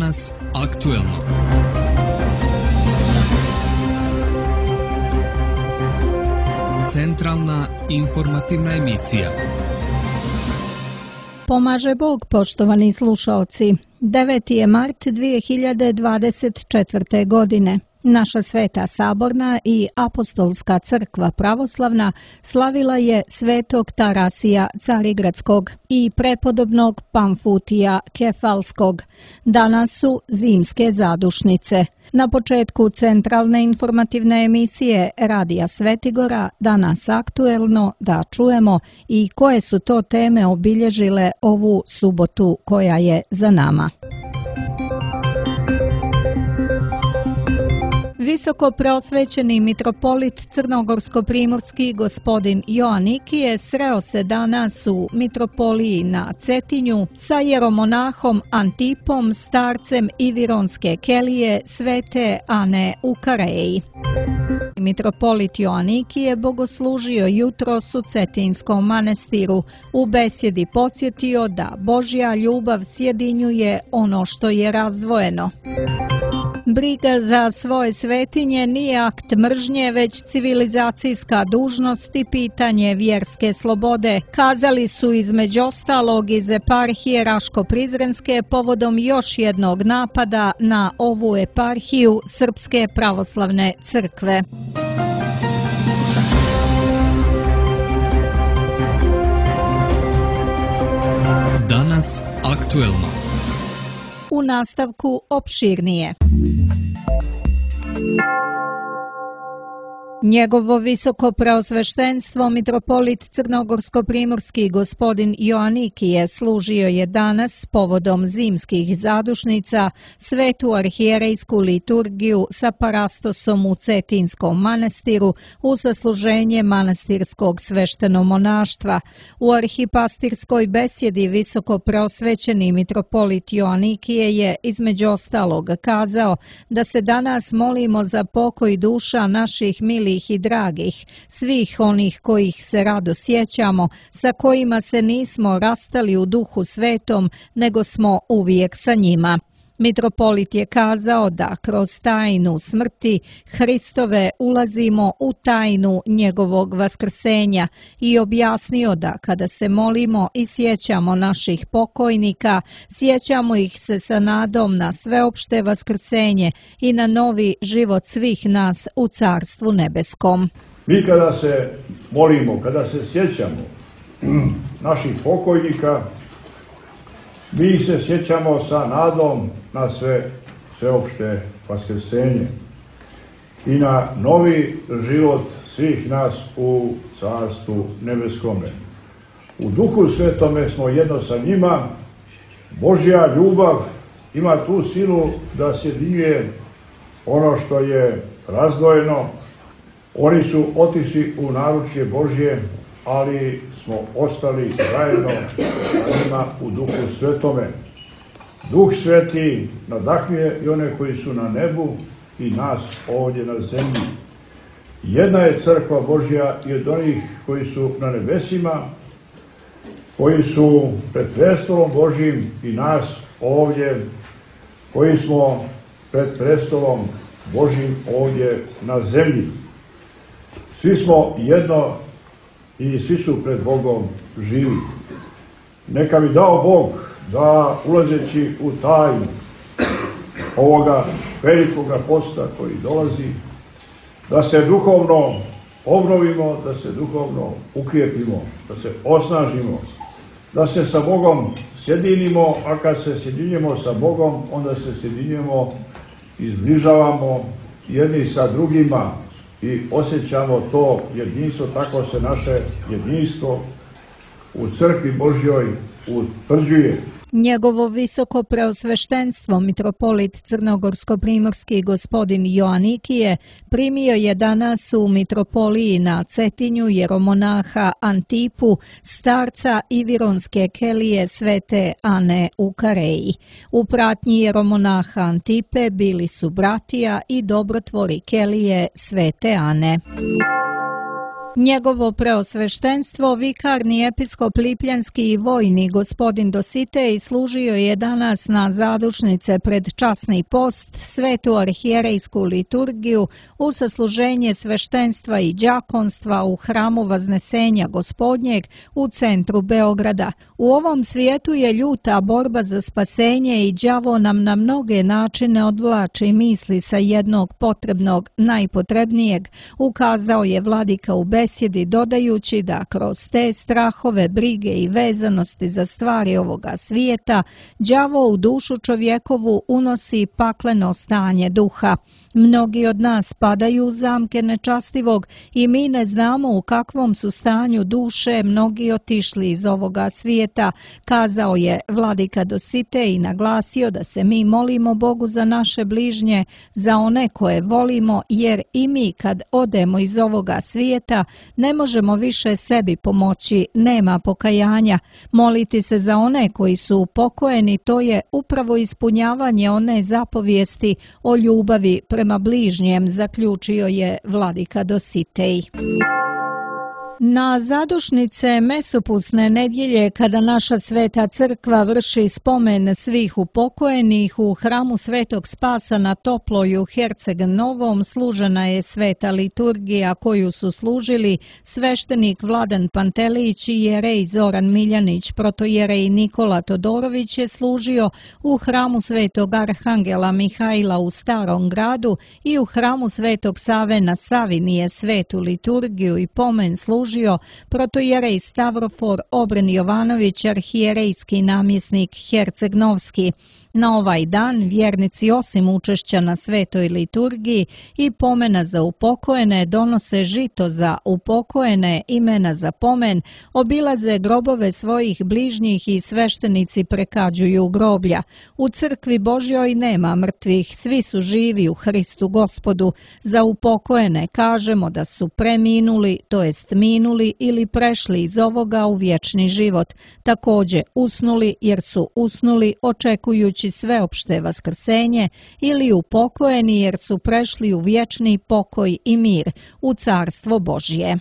Danas aktuelno. Centralna informativna emisija. Pomaže Bog, poštovani slušaoci. 9. je mart 2024. godine. Naša Sveta Saborna i Apostolska crkva pravoslavna slavila je svetog Tarasija Carigradskog i prepodobnog Pamfutija Kefalskog. Danas su zimske zadušnice. Na početku centralne informativne emisije Radija Svetigora Danas aktuelno da čujemo i koje su to teme obilježile ovu subotu koja je za nama. Visoko preosvećeni mitropolit crnogorsko-primorski gospodin Joanikije sreo se danas u mitropoliji na Cetinju sa jeromonahom Antipom, starcem Ivironske kelije Svete Ane u Kareji. Mitropolit Joanikije bogoslužio jutros u Cetinskom manastiru. U besjedi podsjetio da Božja ljubav sjedinjuje ono što je razdvojeno. Briga za svoje svetinje nije akt mržnje, već civilizacijska dužnost i pitanje vjerske slobode, kazali su između ostalog iz eparhije Raško-Prizrenske povodom još jednog napada na ovu eparhiju Srpske pravoslavne crkve. Danas aktuelno. U nastavku opširnije. Njegovo visoko preosveštenstvo mitropolit crnogorsko-primorski gospodin Joanikije služio je danas povodom zimskih zadušnica svetu arhijerejsku liturgiju sa parastosom u Cetinskom manastiru u sasluženje manastirskog sveštenomonaštva. U arhipastirskoj besjedi visoko preosvećeni mitropolit Joanikije je između ostalog kazao da se danas molimo za pokoj duša naših milih i dragih, svih onih kojih se rado sjećamo, sa kojima se nismo rastali u duhu svetom, nego smo uvijek sa njima. Mitropolit je kazao da kroz tajnu smrti Hristove ulazimo u tajnu njegovog vaskrsenja i objasnio da kada se molimo i sjećamo naših pokojnika, sjećamo ih se sa nadom na sveopšte vaskrsenje i na novi život svih nas u Carstvu nebeskom. Mi kada se molimo, kada se sjećamo naših pokojnika, mi se sjećamo sa nadom na sveopšte vaskrsenje i na novi život svih nas u Carstvu nebeskome. U Duhu Svetome smo jedno sa njima. Božja ljubav ima tu silu da sjedinjuje ono što je razdvojeno. Oni su otišli u naručje Božje, ali smo ostali zajedno sa njima u Duhu Svetome. Duh Sveti nadahnuje i one koji su na nebu i nas ovdje na zemlji. Jedna je crkva Božja i od onih koji su na nebesima, koji su pred prestolom Božjim i nas ovdje, koji smo pred prestolom Božjim ovdje na zemlji. Svi smo jedno i svi su pred Bogom živi. Neka mi dao Bog da ulazeći u tajnu ovoga velikoga posta koji dolazi, da se duhovno obnovimo, da se duhovno ukrijepimo, da se osnažimo, da se sa Bogom sjedinimo, a kad se sjedinjemo sa Bogom, onda se sjedinjemo i zbližavamo jedni sa drugima i osjećamo to jedinstvo, tako se naše jedinstvo u crkvi Božjoj utvrđuje. Njegovo visoko preosveštenstvo mitropolit crnogorsko-primorski gospodin Joanikije primio je danas u mitropoliji na Cetinju jeromonaha Antipu, starca Ivironske kelije Svete Ane u Kareji. U pratnji jeromonaha Antipe bili su bratija i dobrotvori kelije Svete Ane. Njegovo preosveštenstvo, vikarni episkop Lipljanski i vojni gospodin Dositej služio je danas na zadušnice pred časni post, svetu arhijerejsku liturgiju, u sasluženje sveštenstva i đakonstva u hramu Vaznesenja Gospodnjeg u centru Beograda. U ovom svijetu je ljuta borba za spasenje i đavo nam na mnoge načine odvlači misli sa jednog potrebnog, najpotrebnijeg, ukazao je vladika u besjedi, dodajući da kroz te strahove, brige i vezanosti za stvari ovoga svijeta, đavo u dušu čovjekovu unosi pakleno stanje duha. Mnogi od nas padaju u zamke nečastivog i mi ne znamo u kakvom su stanju duše mnogi otišli iz ovoga svijeta, kazao je vladika Dositej i naglasio da se mi molimo Bogu za naše bližnje, za one koje volimo, jer i mi kad odemo iz ovoga svijeta ne možemo više sebi pomoći, nema pokajanja. Moliti se za one koji su upokojeni, to je upravo ispunjavanje one zapovijesti o ljubavi prema bližnjem, zaključio je vladika Dositej. Na zadušnice mesopusne nedjelje, kada naša sveta crkva vrši spomen svih upokojenih, u hramu Svetog Spasa na Toploj u Herceg Novom služena je sveta liturgija koju su služili sveštenik Vladan Pantelić i jerej Zoran Miljanić. Protojerej Nikola Todorović je služio u hramu Svetog Arhangela Mihajla u Starom gradu i u hramu Svetog Save na Savini je svetu liturgiju i pomen služio protojerej Stavrofor Obren Jovanović, arhijerejski namjesnik Herceg-Novski. Na ovaj dan vjernici osim učešća na svetoj liturgiji i pomena za upokojene donose žito za upokojene, imena za pomen, obilaze grobove svojih bližnjih i sveštenici prekađuju groblja. U crkvi Božjoj nema mrtvih, svi su živi u Hristu Gospodu. Za upokojene kažemo da su preminuli, to jest minuli ili prešli iz ovoga u vječni život. Također usnuli jer su usnuli očekujući sveopšte vaskrsenje ili upokojeni jer su prešli u vječni pokoj i mir, u carstvo Božje.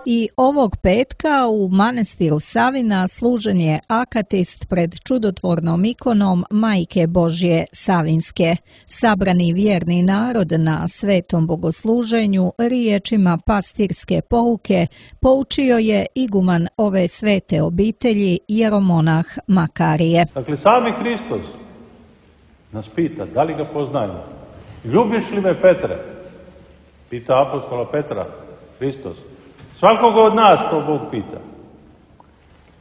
I ovog petka u manastiru Savina služen je akatist pred čudotvornom ikonom Majke Božje Savinske. Sabrani vjerni narod na svetom bogosluženju riječima pastirske pouke poučio je iguman ove svete obitelji jeromonah Makarije. Dakle, sami Hristos nas pita da li ga poznajemo. Ljubiš li me, Petre? Pita apostola Petra, Hristos. Svakoga od nas to Bog pita.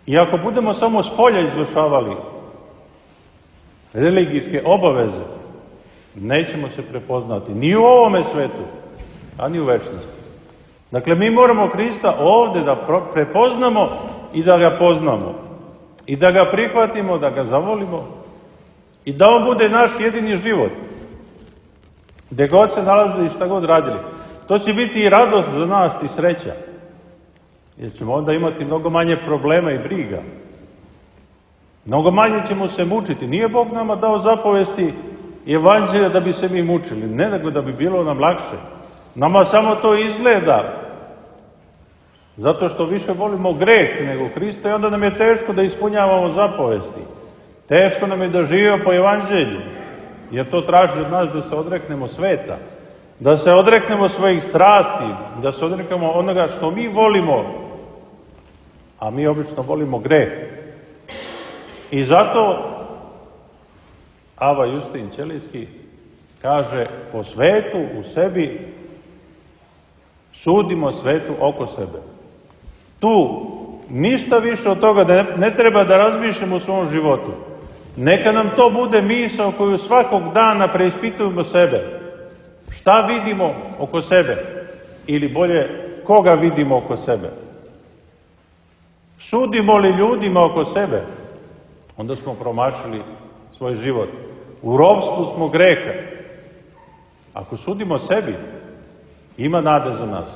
I ako budemo samo s polja izvršavali religijske obaveze, nećemo se prepoznati ni u ovome svetu, a ni u večnosti. Dakle, mi moramo Hrista ovdje da prepoznamo i da ga poznamo. I da ga prihvatimo, da ga zavolimo i da on bude naš jedini život. Gdje god se nalazili i šta god radili. To će biti i radost za nas i sreća. Jer ćemo onda imati mnogo manje problema i briga. Mnogo manje ćemo se mučiti. Nije Bog nama dao zapovesti i evanđelja da bi se mi mučili. Ne, nego da bi bilo nam lakše. Nama samo to izgleda. Zato što više volimo greh nego Hrista i onda nam je teško da ispunjavamo zapovesti. Teško nam je da živimo po evanđelju. Jer to traži od nas da se odreknemo sveta. Da se odreknemo svojih strasti, da se odreknemo onoga što mi volimo, a mi obično volimo greh. I zato Ava Justin Ćelijski kaže, po svetu u sebi sudimo svetu oko sebe. Tu ništa više od toga da ne treba da razmišljamo u svom životu. Neka nam to bude misao koju svakog dana preispitujemo sebe. Šta vidimo oko sebe? Ili bolje, koga vidimo oko sebe? Sudimo li ljudima oko sebe? Onda smo promašili svoj život. U ropstvu smo greha. Ako sudimo sebi, ima nade za nas.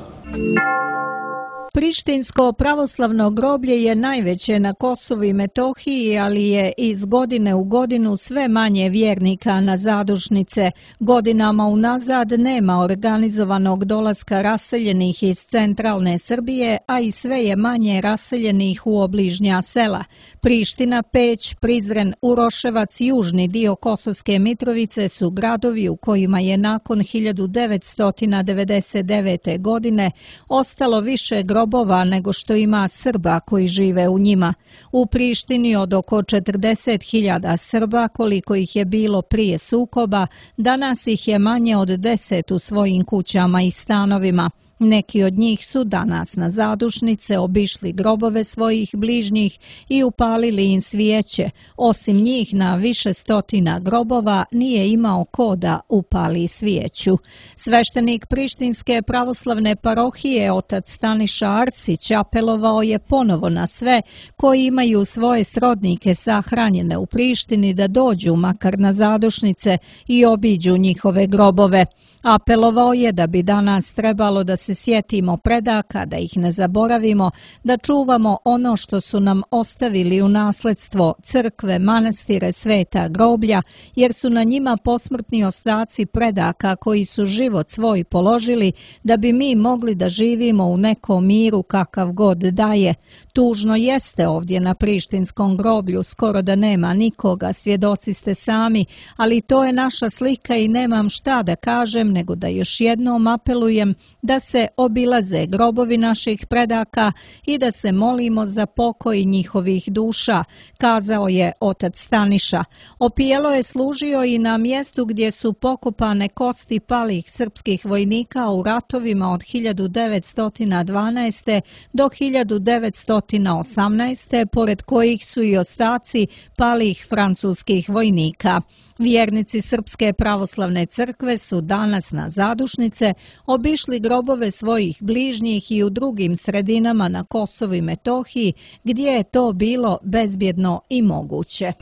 Prištinsko pravoslavno groblje je najveće na Kosovu i Metohiji, ali je iz godine u godinu sve manje vjernika na zadušnice. Godinama unazad nema organizovanog dolaska raseljenih iz centralne Srbije, a i sve je manje raseljenih u obližnja sela. Priština, Peć, Prizren, Uroševac i južni dio Kosovske Mitrovice su gradovi u kojima je nakon 1999. godine ostalo više grobova nego što ima Srba koji žive u njima. U Prištini od oko 40.000 Srba, koliko ih je bilo prije sukoba, danas ih je manje od 10 u svojim kućama i stanovima. Neki od njih su danas na zadušnice obišli grobove svojih bližnjih i upalili im svijeće. Osim njih na više stotina grobova nije imao ko da upali svijeću. Sveštenik Prištinske pravoslavne parohije otac Staniša Arsić apelovao je ponovo na sve koji imaju svoje srodnike sahranjene u Prištini da dođu makar na zadušnice i obiđu njihove grobove. Apelovao je da bi danas trebalo da se sjetimo predaka, da ih ne zaboravimo, da čuvamo ono što su nam ostavili u nasledstvo, crkve, manastire, sveta groblja, jer su na njima posmrtni ostaci predaka koji su život svoj položili da bi mi mogli da živimo u nekom miru kakav god daje. Tužno jeste ovdje na Prištinskom groblju, skoro da nema nikoga, svjedoci ste sami, ali to je naša slika i nemam šta da kažem nego da još jednom apelujem da se obilaze grobovi naših predaka i da se molimo za pokoj njihovih duša, kazao je otac Staniša. Opijelo je služio i na mjestu gdje su pokopane kosti palih srpskih vojnika u ratovima od 1912. do 1918. pored kojih su i ostaci palih francuskih vojnika. Vjernici Srpske pravoslavne crkve su danas na zadušnice obišli grobove svojih bližnjih i u drugim sredinama na Kosovu i Metohiji gdje je to bilo bezbjedno i moguće.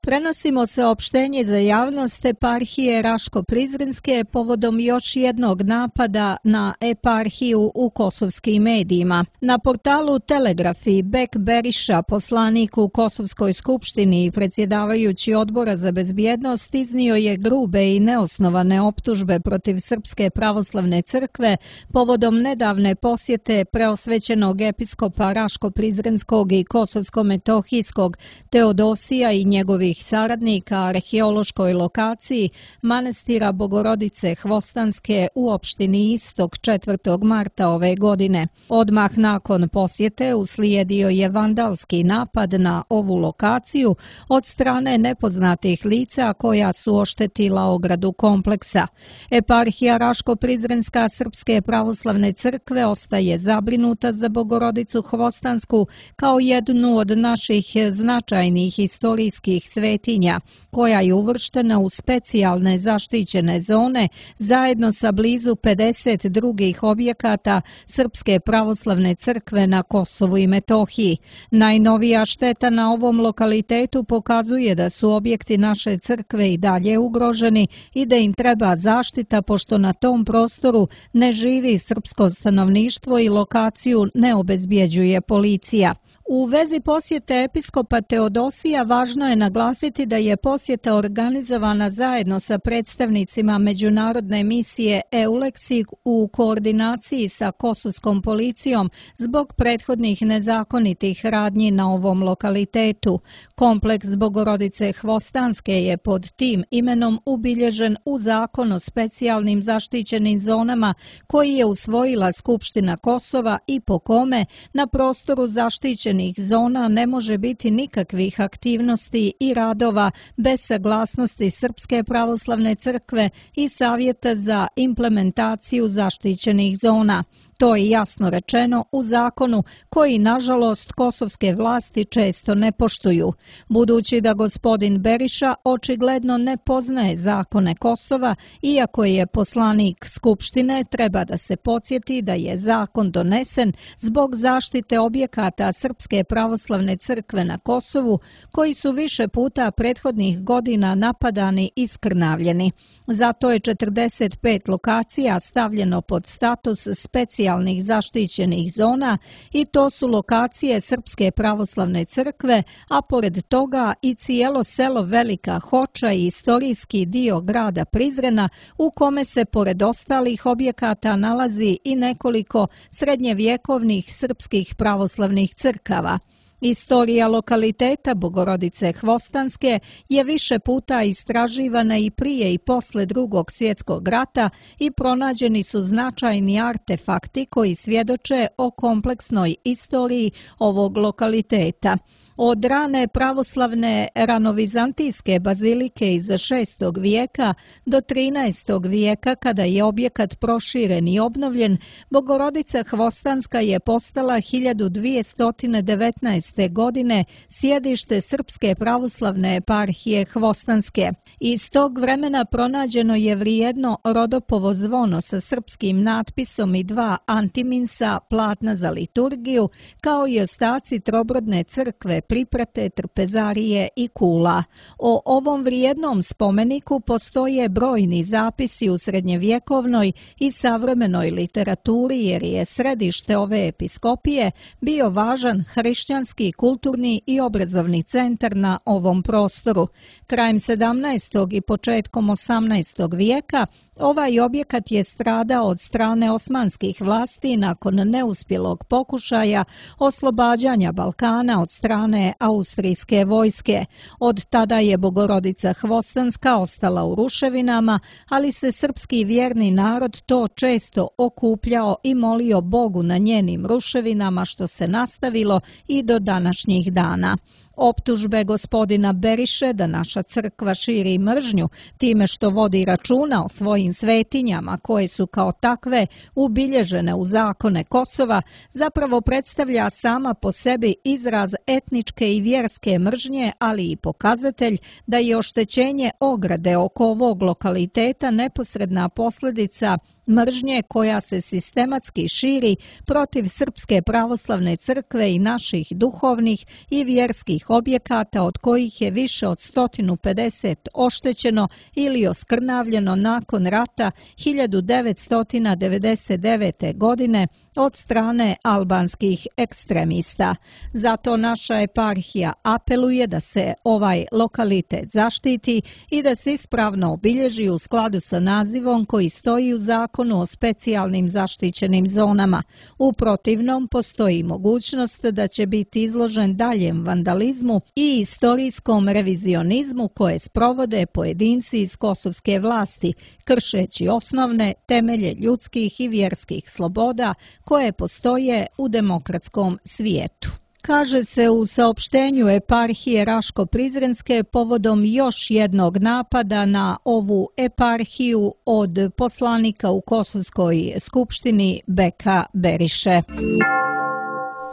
Prenosimo saopštenje za javnost eparhije Raško-Prizrenske povodom još jednog napada na eparhiju u kosovskim medijima. Na portalu Telegrafi Bek Beriša, poslanik u Kosovskoj skupštini i predsjedavajući odbora za bezbjednost, iznio je grube i neosnovane optužbe protiv Srpske pravoslavne crkve povodom nedavne posjete preosvećenog episkopa Raško-Prizrenskog i Kosovsko-Metohijskog Teodosija i njegovih saradnika arheološkoj lokaciji manastira Bogorodice Hvostanske u opštini Istok 4. marta ove godine. Odmah nakon posjete uslijedio je vandalski napad na ovu lokaciju od strane nepoznatih lica koja su oštetila ogradu kompleksa. Eparhija Raško-Prizrenska Srpske pravoslavne crkve ostaje zabrinuta za Bogorodicu Hvostansku kao jednu od naših značajnih historijskih svetinja, koja je uvrštena u specijalne zaštićene zone zajedno sa blizu 50 drugih objekata Srpske pravoslavne crkve na Kosovu i Metohiji. Najnovija šteta na ovom lokalitetu pokazuje da su objekti naše crkve i dalje ugroženi i da im treba zaštita pošto na tom prostoru ne živi srpsko stanovništvo i lokaciju ne obezbjeđuje policija. U vezi posjete episkopa Teodosija važno je naglasiti da je posjeta organizovana zajedno sa predstavnicima međunarodne misije EULEX u koordinaciji sa kosovskom policijom zbog prethodnih nezakonitih radnji na ovom lokalitetu. Kompleks Bogorodice Hvostanske je pod tim imenom ubilježen u zakon o specijalnim zaštićenim zonama koji je usvojila Skupština Kosova i po kome na prostoru zaštićenih zona ne može biti nikakvih aktivnosti i radova bez saglasnosti Srpske pravoslavne crkve i Savjeta za implementaciju zaštićenih zona. To je jasno rečeno u zakonu koji, nažalost, kosovske vlasti često ne poštuju. Budući da gospodin Beriša očigledno ne poznaje zakone Kosova, iako je poslanik Skupštine, treba da se podsjeti da je zakon donesen zbog zaštite objekata Srpske pravoslavne crkve na Kosovu, koji su više puta prethodnih godina napadani i skrnavljeni. Zato je 45 lokacija stavljeno pod status specijalnih specijalnih zaštićenih zona i to su lokacije Srpske pravoslavne crkve, a pored toga i cijelo selo Velika Hoča i istorijski dio grada Prizrena u kome se pored ostalih objekata nalazi i nekoliko srednjevjekovnih srpskih pravoslavnih crkava. Istorija lokaliteta Bogorodice Hvostanske je više puta istraživana i prije i posle Drugog svjetskog rata i pronađeni su značajni artefakti koji svjedoče o kompleksnoj istoriji ovog lokaliteta. Od rane pravoslavne ranovizantijske bazilike iz 6. vijeka do 13. vijeka kada je objekat proširen i obnovljen, Bogorodica Hvostanska je postala 1219. godine sjedište Srpske pravoslavne eparhije Hvostanske. Iz tog vremena pronađeno je vrijedno rodopovo zvono sa srpskim natpisom i 2 antiminsa platna za liturgiju, kao i ostaci trobrodne crkve, priprate, trpezarije i kula. O ovom vrijednom spomeniku postoje brojni zapisi u srednjevjekovnoj i savremenoj literaturi jer je središte ove episkopije bio važan hrišćanski, kulturni i obrazovni centar na ovom prostoru. Krajem 17. i početkom 18. vijeka ovaj objekat je stradao od strane osmanskih vlasti nakon neuspjelog pokušaja oslobađanja Balkana od strane austrijske vojske. Od tada je Bogorodica Hvostanska ostala u ruševinama, ali se srpski vjerni narod to često okupljao i molio Bogu na njenim ruševinama, što se nastavilo i do današnjih dana. Optužbe gospodina Beriše da naša crkva širi mržnju time što vodi računa o svojim svetinjama koje su kao takve ubilježene u zakone Kosova zapravo predstavlja sama po sebi izraz etničke i vjerske mržnje, ali i pokazatelj da je oštećenje ograde oko ovog lokaliteta neposredna posljedica mržnje koja se sistematski širi protiv Srpske pravoslavne crkve i naših duhovnih i vjerskih objekata od kojih je više od 150 oštećeno ili oskrnavljeno nakon rata 1999. godine od strane albanskih ekstremista. Zato naša eparhija apeluje da se ovaj lokalitet zaštiti i da se ispravno obilježi u skladu sa nazivom koji stoji u zakonu o specijalnim zaštićenim zonama. U protivnom postoji mogućnost da će biti izložen daljem vandalizmu i istorijskom revizionizmu koje sprovode pojedinci iz kosovske vlasti, kršeći osnovne temelje ljudskih i vjerskih sloboda koje postoje u demokratskom svijetu. Kaže se u saopštenju eparhije Raško-Prizrenske povodom još jednog napada na ovu eparhiju od poslanika u Kosovskoj skupštini Beka Beriše.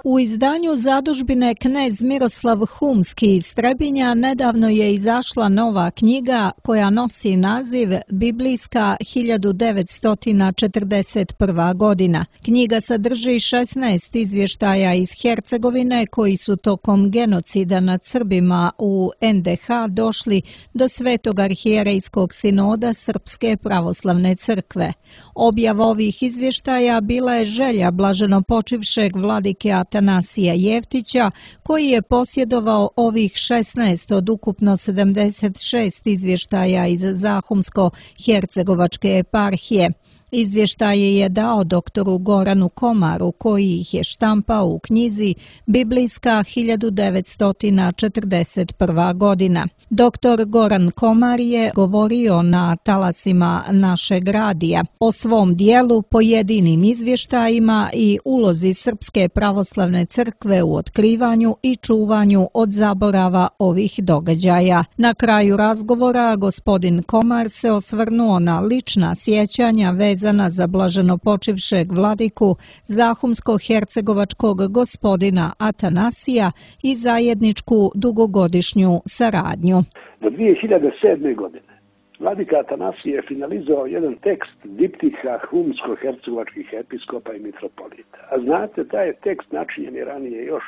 U izdanju zadužbine Knez Miroslav Humski iz Trebinja nedavno je izašla nova knjiga koja nosi naziv Biblijska 1941. godina. Knjiga sadrži 16 izvještaja iz Hercegovine koji su tokom genocida nad Srbima u NDH došli do Svetog arhijerejskog sinoda Srpske pravoslavne crkve. Objava ovih izvještaja bila je želja blaženopočivšeg vladike Atanasija Jeftića, koji je posjedovao ovih 16 od ukupno 76 izvještaja iz Zahumsko-hercegovačke eparhije. Izvještaje je dao doktoru Goranu Komaru, koji ih je štampao u knjizi Biblijska 1941. godina. Doktor Goran Komar je govorio na talasima našeg radija o svom dijelu, pojedinim izvještajima i ulozi Srpske pravoslavne crkve u otkrivanju i čuvanju od zaborava ovih događaja. Na kraju razgovora gospodin Komar se osvrnuo na lična sjećanja vezana za blaženopočivšeg vladiku Zahumsko-hercegovačkog gospodina Atanasija i zajedničku dugogodišnju saradnju. Do 2007. godine vladika Atanasije je finalizovao jedan tekst diptiha humsko-hercegovačkih episkopa i mitropolita. A znate, taj je tekst načinjen je ranije još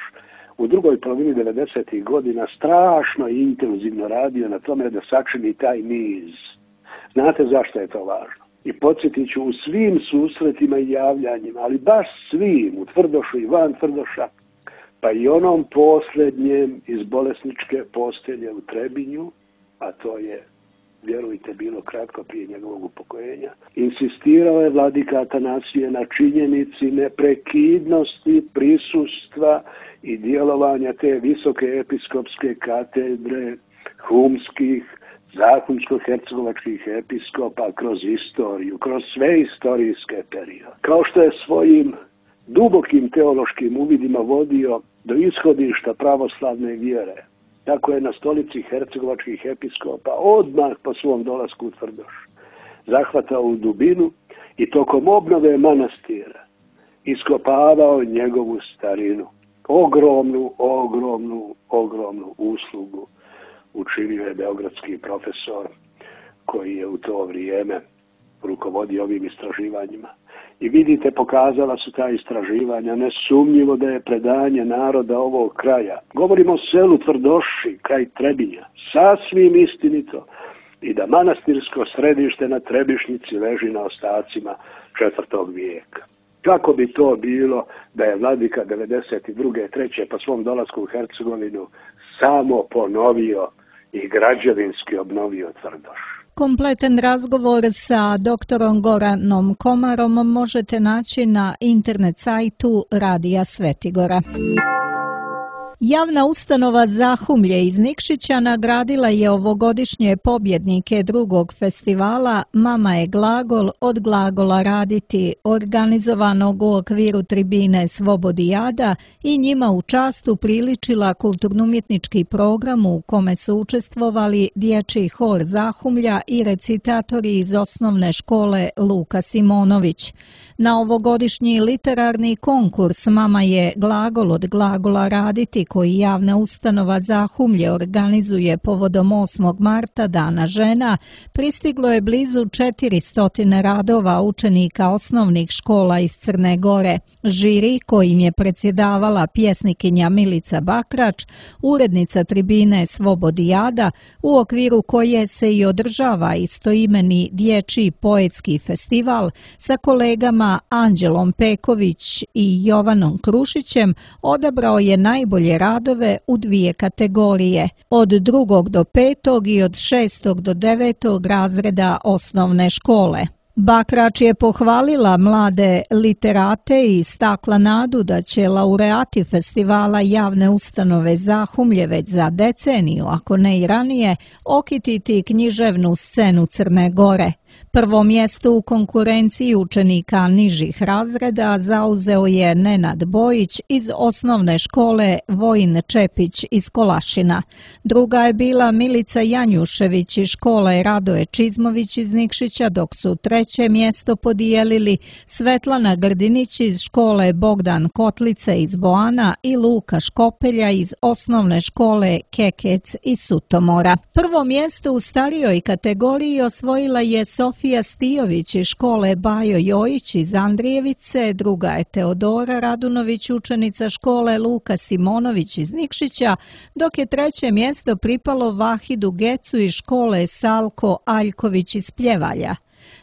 u drugoj polovini 90. godina strašno i intenzivno radio na tome da sačini taj niz. Znate zašto je to važno? I podsjetit ću u svim susretima i javljanjima, ali baš svim, u Tvrdošu i van Tvrdoša, pa i onom posljednjem iz bolesničke postelje u Trebinju, a to je, vjerujte, bilo kratko prije njegovog upokojenja, insistirao je vladika Atanasije na činjenici neprekidnosti prisustva i djelovanja te visoke episkopske katedre humskih, zahumsko-hercegovačkih episkopa kroz istoriju, kroz sve istorijske periode. Kao što je svojim dubokim teološkim uvidima vodio do ishodišta pravoslavne vjere, tako je na stolici hercegovačkih episkopa odmah po svom dolasku u Tvrdoš zahvatao u dubinu i tokom obnove manastira iskopavao njegovu starinu. Ogromnu uslugu učinio je beogradski profesor koji je u to vrijeme rukovodio ovim istraživanjima. I vidite, pokazala su ta istraživanja, nesumnjivo da je predanje naroda ovog kraja, govorimo o selu Tvrdoši, kraj Trebinja, sasvim istinito, i da manastirsko središte na Trebišnici leži na ostacima 4. vijeka. Kako bi to bilo da je vladika 92. 3. po svom dolasku u Hercegovinu samo ponovio i građevinski obnovio Tvrdoš? Kompletan razgovor sa doktorom Goranom Komarom možete naći na internet sajtu Radija Svetigora. Javna ustanova Zahumlje iz Nikšića nagradila je ovogodišnje pobjednike drugog festivala Mama je glagol od glagola raditi, organizovanog u okviru tribine Svobodijada, i njima u čast upriličila kulturno-umjetnički program u kome su učestvovali dječji hor Zahumlja i recitatori iz osnovne škole Luka Simonović. Na ovogodišnji literarni konkurs Mama je glagol od glagola raditi, koji javna ustanova Zahumlje organizuje povodom 8. marta, Dana žena, pristiglo je blizu 400 radova učenika osnovnih škola iz Crne Gore. Žiri, kojim je predsjedavala pjesnikinja Milica Bakrač, urednica tribine Svobodijada, u okviru koje se i održava istoimeni dječji poetski festival, sa kolegama Anđelom Peković i Jovanom Krušićem, odabrao je najbolje radove u 2 kategorije, od 2. do 5. i od 6. do 9. razreda osnovne škole. Bakrač je pohvalila mlade literate i istakla nadu da će laureati festivala javne ustanove Zahumlje već za deceniju, ako ne i ranije, okititi književnu scenu Crne Gore. Prvo mjesto u konkurenciji učenika nižih razreda zauzeo je Nenad Bojić iz osnovne škole Vojin Čepić iz Kolašina. Druga je bila Milica Janjušević iz škole Radoje Čizmović iz Nikšića, dok su 3. mjesto podijelili Svetlana Grdinić iz škole Bogdan Kotlice iz Boana i Luka Škopelja iz osnovne škole Kekec iz Sutomora. Prvo mjesto u starijoj kategoriji osvojila je Sofija Stijović iz škole Bajo Jojić iz Andrijevice, druga je Teodora Radunović, učenica škole Luka Simonović iz Nikšića, dok je 3. mjesto pripalo Vahidu Gecu iz škole Salko Aljković iz Pljevalja.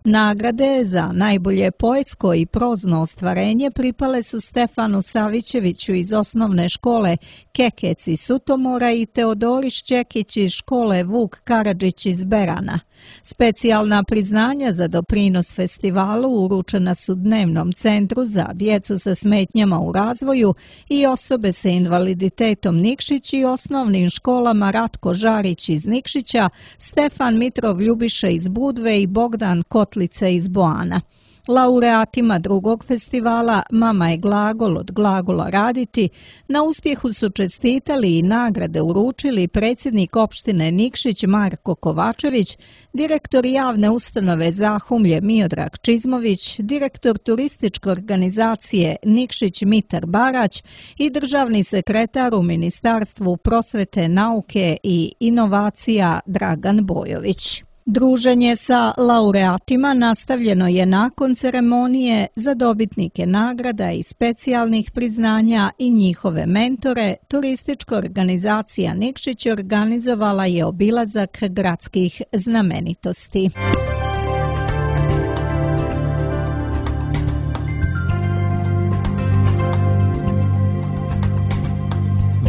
Nagrade za najbolje poetsko i prozno ostvarenje pripale su Stefanu Savićeviću iz osnovne škole Kekec iz Sutomora i Teodori Šćekić iz škole Vuk Karadžić iz Berana. Specijalna priznanja za doprinos festivalu uručena su Dnevnom centru za djecu sa smetnjama u razvoju i osobe sa invaliditetom Nikšić i osnovnim školama Ratko Žarić iz Nikšića, Stefan Mitrov Ljubiša iz Budve i Bogdan Kotlice iz Boana. Laureatima drugog festivala Mama je glagol od glagola raditi na uspjehu su čestitali i nagrade uručili predsjednik opštine Nikšić Marko Kovačević, direktor javne ustanove Zahumlje Miodrag Čizmović, direktor turističke organizacije Nikšić Mitar Barać i državni sekretar u Ministarstvu prosvete, nauke i inovacija Dragan Bojović. Druženje sa laureatima nastavljeno je nakon ceremonije za dobitnike nagrada i specijalnih priznanja i njihove mentore. Turistička organizacija Nikšić organizovala je obilazak gradskih znamenitosti.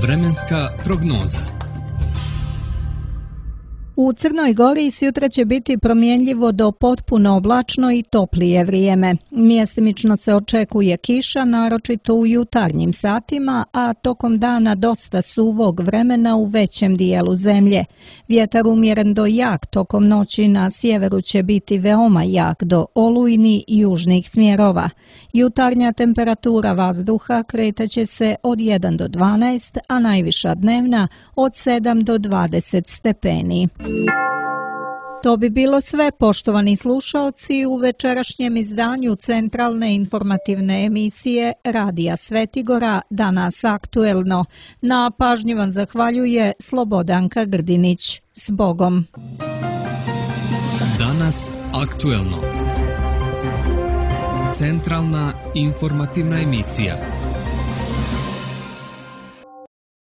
Vremenska prognoza. U Crnoj Gori sutra će biti promjenljivo do potpuno oblačno i toplije vrijeme. Mjestimično se očekuje kiša, naročito u jutarnjim satima, a tokom dana dosta suvog vremena u većem dijelu zemlje. Vjetar umjeren do jak tokom noći na sjeveru će biti veoma jak do olujni južnih smjerova. Jutarnja temperatura vazduha kretaće se od 1 do 12, a najviša dnevna od 7 do 20 stepeni. To bi bilo sve, poštovani slušaoci, u večerašnjem izdanju centralne informativne emisije Radija Svetigora Danas aktuelno. Na pažnji vam zahvaljuje Slobodanka Grdinić. S Bogom! Danas aktuelno. Centralna informativna emisija.